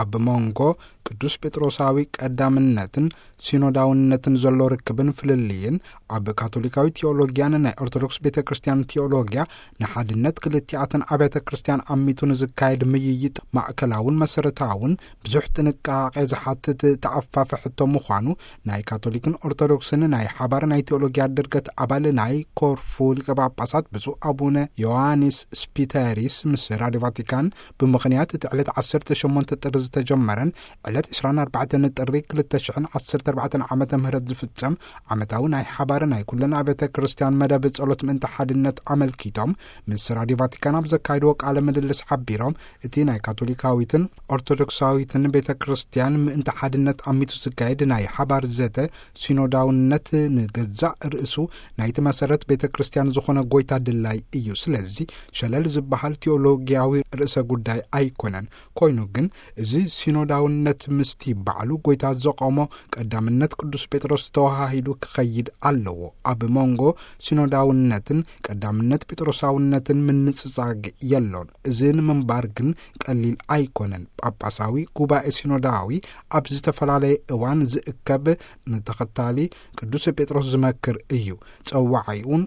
ኣብ መንጎ ቅዱስ ጴጥሮሳዊ ቀዳምነትን ሲኖዳውነትን ዘሎ ርክብን ፍልልይን፣ ኣብ ካቶሊካዊ ቴዎሎጊያን ናይ ኦርቶዶክስ ቤተ ክርስቲያን ቴዎሎጊያ፣ ንሓድነት ክልቲኣተን ኣብያተ ክርስቲያን ኣሚቱ ንዝካየድ ምይይጥ ማእከላውን መሰረታውን ብዙሕ ጥንቃቄ ዝሓትት ተኣፋፊ ሕቶ ምዃኑ ናይ ካቶሊክን ኦርቶዶክስን ናይ ሓባር ናይ ቴዎሎጊያ ድርገት ኣባል ናይ ኮርፉ ሊቀ ጳጳሳት ብፁዕ ኣቡነ ዮሃንስ ስፒተሪስ ምስ ራዲዮ ቫቲካን ብምኽንያት እቲ ዕለት ዓሰርተ ሸሞንተ ጥሪ ዝተጀመረን ዕለት ዕስራን ኣርባዕተን ጥሪ ክልተ ሽሕን ዓሰርተ ኣርባዕተን ዓመተ ምህረት ዝፍጸም ዓመታዊ ናይ ሓባር ናይ ኩለን ኣብያተ ክርስቲያን መደብ ጸሎት ምእንቲ ሓድነት ኣመልኪቶም ምስ ራዲዮ ቫቲካን ኣብ ዘካየድዎ ቃለ ምልልስ ሓቢሮም፣ እቲ ናይ ካቶሊካዊትን ኦርቶዶክሳዊትን ቤተ ክርስቲያን ምእንቲ ሓድነት ኣሚቱ ዝካየድ ናይ ሓባር ዘተ ሲኖዳውነት ንገዛእ ርእሱ ናይቲ መሰረት ቤተ ክርስቲያን ዝኾነ ጎይታ ድላይ እዩ። ስለዚ ሸለል ዝበሃል ቴዎሎጊያዊ ርእሰ ጉዳይ ኣይኮነን። ኮይኑ ግን እዚ ሲኖዳውነት ምስቲ ባዕሉ ጎይታ ዘቆሞ ቀዳምነት ቅዱስ ጴጥሮስ ተዋሃሂዱ ክኸይድ ኣለዎ። ኣብ መንጎ ሲኖዳውነትን ቀዳምነት ጴጥሮሳውነትን ምንጽጻግ የሎን። እዚ ንምንባር ግን ቀሊል ኣይኮነን። ጳጳሳዊ ጉባኤ ሲኖዳዊ ኣብ ዝተፈላለየ እዋን ዝእከብ፣ ንተኸታሊ ቅዱስ ጴጥሮስ ዝመክር እዩ። ጸዋዓይኡን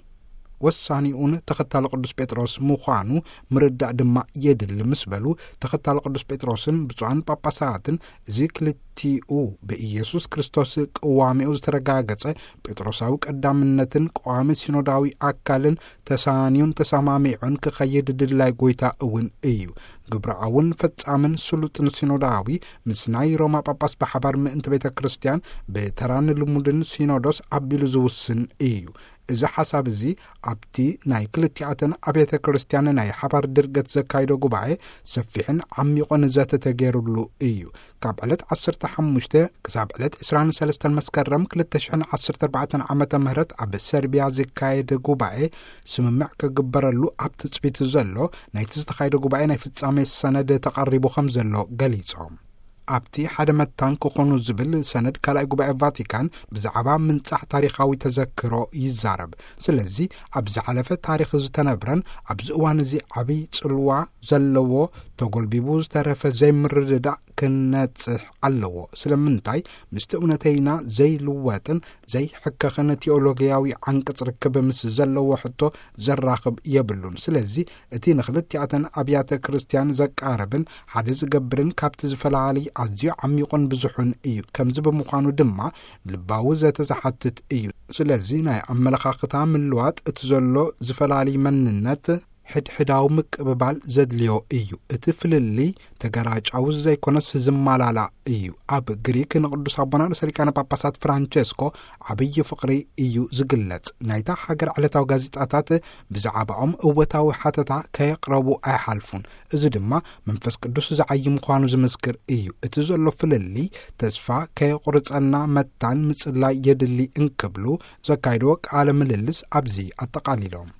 ወሳኒኡን ተኸታሊ ቅዱስ ጴጥሮስ ምዃኑ ምርዳእ ድማ የድሊ ምስ በሉ፣ ተኸታሊ ቅዱስ ጴጥሮስን ብፁዓን ጳጳሳትን እዚ ክልቲኡ ብኢየሱስ ክርስቶስ ቅዋሜኡ ዝተረጋገጸ ጴጥሮሳዊ ቀዳምነትን ቀዋሚ ሲኖዳዊ ኣካልን ተሳንዩን ተሰማሚዑን ክኸይድ ድላይ ጎይታ እውን እዩ። ግብራውን ፈጻምን ስሉጥን ሲኖዳዊ ምስ ናይ ሮማ ጳጳስ ብሓባር ምእንቲ ቤተ ክርስቲያን ብተራን ልሙድን ሲኖዶስ ኣቢሉ ዝውስን እዩ። እዚ ሓሳብ እዚ ኣብቲ ናይ ክልቲኣተን ኣብያተ ክርስቲያን ናይ ሓባር ድርገት ዘካይዶ ጉባኤ ሰፊሕን ዓሚቑን ዘተ ተገይሩሉ እዩ። ካብ ዕለት ዓሰርተ ሓሙሽተ ክሳብ ዕለት ዕስራን ሰለስተን መስከረም ክልተ ሽሕን ዓሰርተ ኣርባዕተን ዓመተ ምህረት ኣብ ሰርቢያ ዝካየድ ጉባኤ ስምምዕ ክግበረሉ ኣብ ትጽቢት ዘሎ ናይቲ ዝተኻየደ ጉባኤ ናይ ፍጻሜ ሰነድ ተቐሪቡ ከም ዘሎ ገሊጾም። ኣብቲ ሓደ መታን ክኾኑ ዝብል ሰነድ ካልኣይ ጉባኤ ቫቲካን ብዛዕባ ምንጻሕ ታሪኻዊ ተዘክሮ ይዛረብ። ስለዚ ኣብ ዝሓለፈ ታሪኽ ዝተነብረን ኣብዚ እዋን እዚ ዓብይ ጽልዋ ዘለዎ ተጎልቢቡ ዝተረፈ ዘይምርድዳእ ክነጽሕ ኣለዎ። ስለምንታይ ምስቲ እውነተይና ዘይልወጥን ዘይሕከኽን ቴዎሎጊያዊ ዓንቀጽ ርክብ ምስ ዘለዎ ሕቶ ዘራኽብ የብሉን። ስለዚ እቲ ንክልቲኣተን ኣብያተ ክርስቲያን ዘቃርብን ሓደ ዝገብርን ካብቲ ዝፈላሊ ኣዝዩ ዓሚቑን ብዙሑን እዩ። ከምዚ ብምዃኑ ድማ ልባዊ ዘተ ዝሓትት እዩ። ስለዚ ናይ ኣመለኻኽታ ምልዋጥ እቲ ዘሎ ዝፈላሊ መንነት ሕድሕዳዊ ምቅብባል ዘድልዮ እዩ። እቲ ፍልልይ ተገራጫዊ ዘይኮነስ ዝማላላ እዩ። ኣብ ግሪክ ንቅዱስ ኣቦና ርእሰ ሊቃነ ጳጳሳት ፍራንቸስኮ ዓብዪ ፍቕሪ እዩ ዝግለጽ። ናይታ ሃገር ዕለታዊ ጋዜጣታት ብዛዕባኦም እወታዊ ሓተታ ከየቕረቡ ኣይሓልፉን። እዚ ድማ መንፈስ ቅዱስ ዝዓዪ ምዃኑ ዝምስክር እዩ። እቲ ዘሎ ፍልልይ ተስፋ ከየቑርጸና መታን ምጽላይ የድሊ እንክብሉ ዘካይድዎ ቃለ ምልልስ ኣብዚ ኣጠቓሊሎም።